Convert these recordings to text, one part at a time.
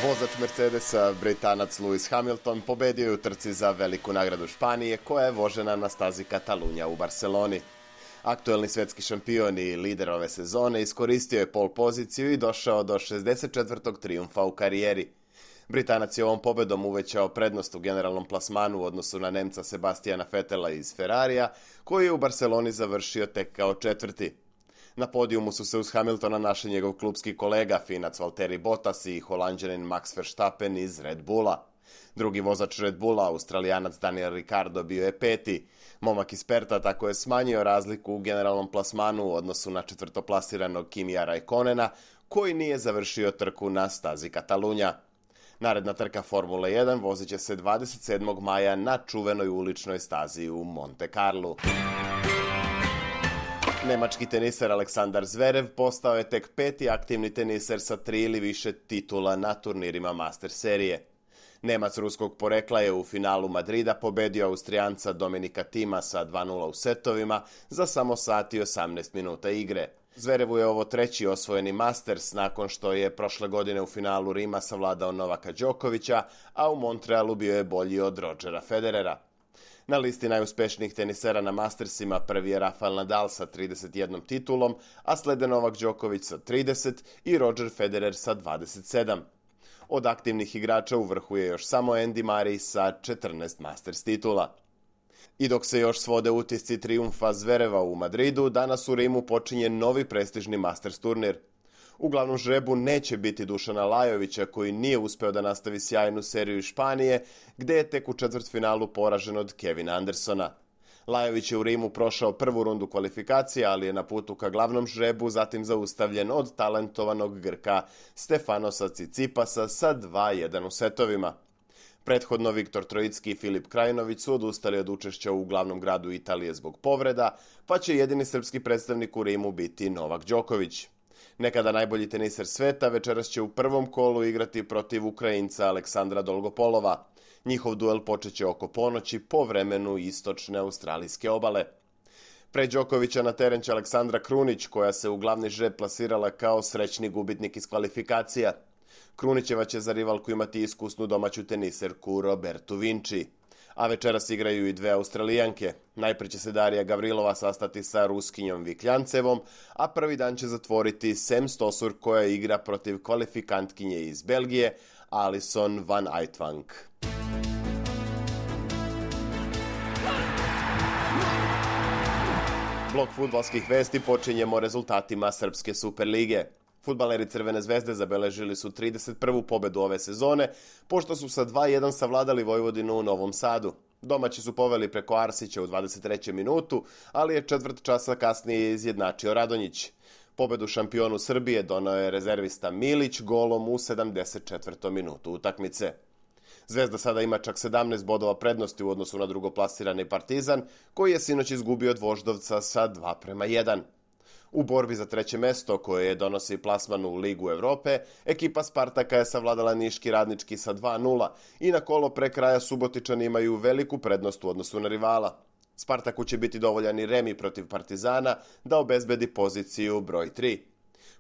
Vozač Mercedesa, Britanac Lewis Hamilton, pobedio je u trci za veliku nagradu Španije, koja je vožena na stazi Katalunja u Barceloni. Aktuelni svetski šampion i lider ove sezone iskoristio je pol poziciju i došao do 64. trijumfa u karijeri. Britanac je ovom pobedom uvećao prednost u generalnom plasmanu u odnosu na Nemca Sebastiana Vettela iz Ferrarija, koji je u Barceloni završio tek kao četvrti. Na podijumu su se uz Hamiltona našli njegov klubski kolega, Finac Valtteri Bottas i Holanđanin Max Verstappen iz Red Bulla. Drugi vozač Red Bulla, Australijanac Daniel Ricciardo, bio je peti. Momak iz Perta tako je smanjio razliku u generalnom plasmanu u odnosu na četvrtoplasiranog Kimija Raikkonena, koji nije završio trku na stazi Katalunja. Naredna trka Formule 1 vozit će se 27. maja na čuvenoj uličnoj stazi u Monte Carlu. Nemački teniser Aleksandar Zverev postao je tek peti aktivni teniser sa 3 ili više titula na turnirima Master serije. Nemac ruskog porekla je u finalu Madrida pobedio Austrijanca Dominika Thima sa 2:0 u setovima za samo sat i 18 minuta igre. Zverevu je ovo treći osvojeni Masters nakon što je prošle godine u finalu Rima savladao Novaka Đokovića, a u Montrealu bio je bolji od Rodgera Federera. Na listi najuspešnijih tenisera na Mastersima prvi je Rafael Nadal sa 31 titulom, a slede Novak Đoković sa 30 i Roger Federer sa 27. Od aktivnih igrača u vrhu je još samo Andy Murray sa 14 Masters titula. I dok se još svode utisci trijumfa Zvereva u Madridu, danas u Rimu počinje novi prestižni Masters turnir. U glavnom žrebu neće biti Dušana Lajovića, koji nije uspeo da nastavi sjajnu seriju iz Španije, gde je tek u četvrtfinalu poražen od Kevina Andersona. Lajović je u Rimu prošao prvu rundu kvalifikacije, ali je na putu ka glavnom žrebu zatim zaustavljen od talentovanog Grka Stefanosa Cicipasa sa 2:1 u setovima. Prethodno Viktor Trojicki i Filip Krajinović su odustali od učešća u glavnom gradu Italije zbog povreda, pa će jedini srpski predstavnik u Rimu biti Novak Đoković. Nekada najbolji teniser sveta večeras će u prvom kolu igrati protiv Ukrajinca Aleksandra Dolgopolova. Njihov duel počeće oko ponoći po vremenu istočne australijske obale. Pre Đokovića na teren će Aleksandra Krunić, koja se u glavni žreb plasirala kao srećni gubitnik iz kvalifikacija. Krunićeva će za rivalku imati iskusnu domaću teniserku Robertu Vinci. A večeras igraju i dve Australijanke. Najpre će se Darija Gavrilova sastati sa Ruskinjom Vikljancevom, a prvi dan će zatvoriti Sam Stosur, koja igra protiv kvalifikantkinje iz Belgije, Alison van Uytvanck. Blok fudbalskih vesti počinjemo rezultatima Srpske Superlige. Fudbaleri Crvene zvezde zabeležili su 31. pobedu ove sezone, pošto su sa 2:1 savladali Vojvodinu u Novom Sadu. Domaći su poveli preko Arsića u 23. minutu, ali je četvrt časa kasnije izjednačio Radonjić. Pobedu šampionu Srbije donao je rezervista Milić golom u 74. minutu utakmice. Zvezda sada ima čak 17 bodova prednosti u odnosu na drugoplasirani Partizan, koji je sinoć izgubio od Voždovca sa 2:1. U borbi za treće mesto, koje donosi plasman u Ligu Evrope, ekipa Spartaka je savladala Niški Radnički sa 2:0 i na kolo pre kraja Subotičani imaju veliku prednost u odnosu na rivala. Spartaku će biti dovoljan i remi protiv Partizana da obezbedi poziciju broj 3.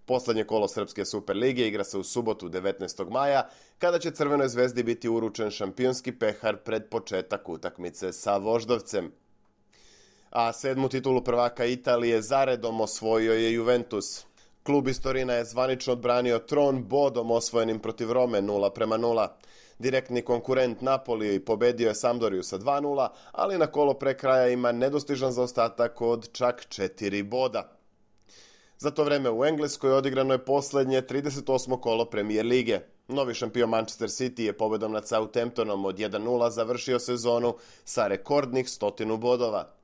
Poslednje kolo Srpske Superlige igra se u subotu 19. maja, kada će Crvenoj zvezdi biti uručen šampionski pehar pred početak utakmice sa Voždovcem. A 7. titulu prvaka Italije zaredom osvojio je Juventus. Klub iz Torina je zvanično odbranio tron bodom osvojenim protiv Rome 0:0. Direktni konkurent Napoli pobedio je Sampdoriju sa 2:0, ali na kolo pre kraja ima nedostižan zaostatak od čak 4 boda. Za to vreme u Engleskoj odigrano je poslednje 38. kolo Premier lige. Novi šampion Manchester City je pobedom nad Southamptonom od 1:0 završio sezonu sa rekordnih 100 bodova.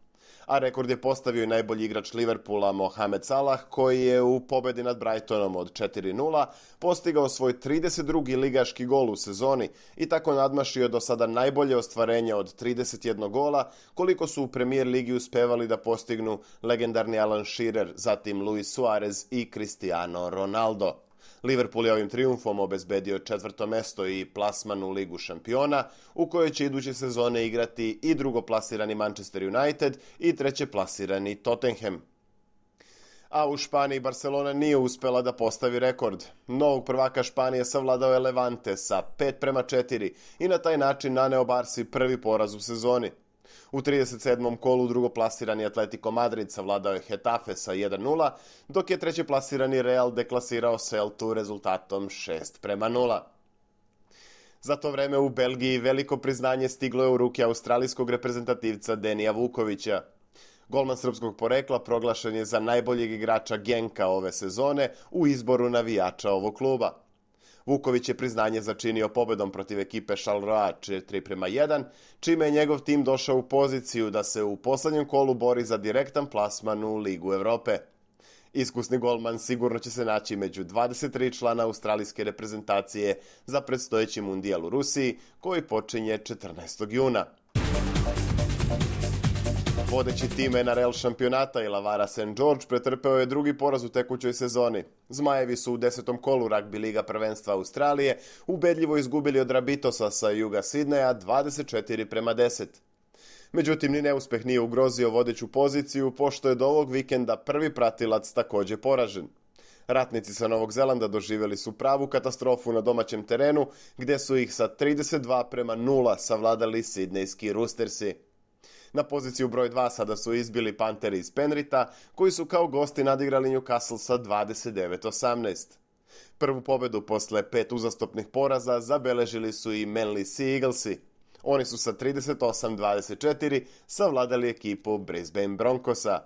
A rekord je postavio i najbolji igrač Liverpoola Mohamed Salah, koji je u pobedi nad Brightonom od 4:0 postigao svoj 32. ligaški gol u sezoni i tako nadmašio do sada najbolje ostvarenje od 31 gola, koliko su u Premier ligi uspevali da postignu legendarni Alan Shearer, zatim Luis Suarez i Cristiano Ronaldo. Liverpool je ovim trijumfom obezbedio 4. mesto i plasman u Ligu šampiona, u kojoj će iduće sezone igrati i drugoplasirani Manchester United i trećeplasirani Tottenham. A u Španiji Barcelona nije uspela da postavi rekord. Novog prvaka Španije savladao je Levante sa 5:4 i na taj način naneo Barsi prvi poraz u sezoni. U 37. kolu drugoplasirani Atletico Madrid savladao je Getafe sa 1:0, dok je trećeplasirani Real deklasirao Celtu rezultatom 6:0. Za to vreme u Belgiji veliko priznanje stiglo je u ruke australijskog reprezentativca Denija Vukovića. Golman srpskog porekla proglašen je za najboljeg igrača Genka ove sezone u izboru navijača ovog kluba. Vuković je priznanje začinio pobedom protiv ekipe Charleroi 4:1, čime je njegov tim došao u poziciju da se u poslednjem kolu bori za direktan plasman u Ligu Evrope. Iskusni golman sigurno će se naći među 23 člana australijske reprezentacije za predstojeći mundijal u Rusiji, koji počinje 14. juna. Vodeći tim NRL šampionata Illawarra St. George pretrpeo je drugi poraz u tekućoj sezoni. Zmajevi su u 10. kolu ragbi liga prvenstva Australije ubedljivo izgubili od Rabitosa sa juga Sidneja 24:10. Međutim, ni neuspeh nije ugrozio vodeću poziciju, pošto je do ovog vikenda prvi pratilac takođe poražen. Ratnici sa Novog Zelanda doživjeli su pravu katastrofu na domaćem terenu, gde su ih sa 32:0 savladali sidnejski Roostersi. Na poziciju broj 2 sada su izbili Panteri iz Penrita, koji su kao gosti nadigrali Newcastle sa 29:18. Prvu pobedu posle 5 uzastopnih poraza zabeležili su i Manly Sea Eaglesi. Oni su sa 38:24 savladali ekipu Brisbane Broncosa.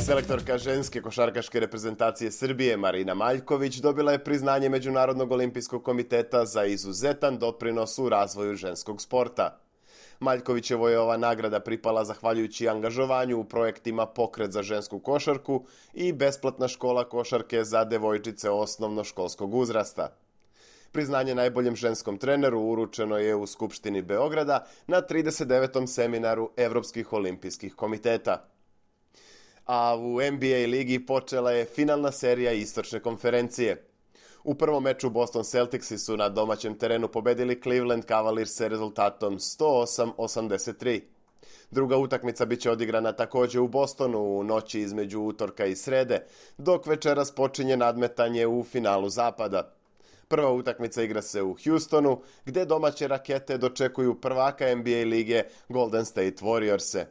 Selektorka ženske košarkaške reprezentacije Srbije Marina Maljković dobila je priznanje Međunarodnog olimpijskog komiteta za izuzetan doprinos u razvoju ženskog sporta. Maljkovićevoj je ova nagrada pripala zahvaljujući angažovanju u projektima Pokret za žensku košarku i besplatna škola košarke za devojčice osnovnoškolskog uzrasta. Priznanje najboljem ženskom treneru uručeno je u Skupštini Beograda na 39. seminaru Evropskih olimpijskih komiteta. A u NBA ligi počela je finalna serija istočne konferencije. U prvom meču Boston Celticsi su na domaćem terenu pobedili Cleveland Cavalierse rezultatom 108-83. Druga utakmica biće odigrana takođe u Bostonu u noći između utorka i srede, dok večeras počinje nadmetanje u finalu zapada. Prva utakmica igra se u Houstonu, gde domaće rakete dočekuju prvaka NBA lige Golden State Warriorse.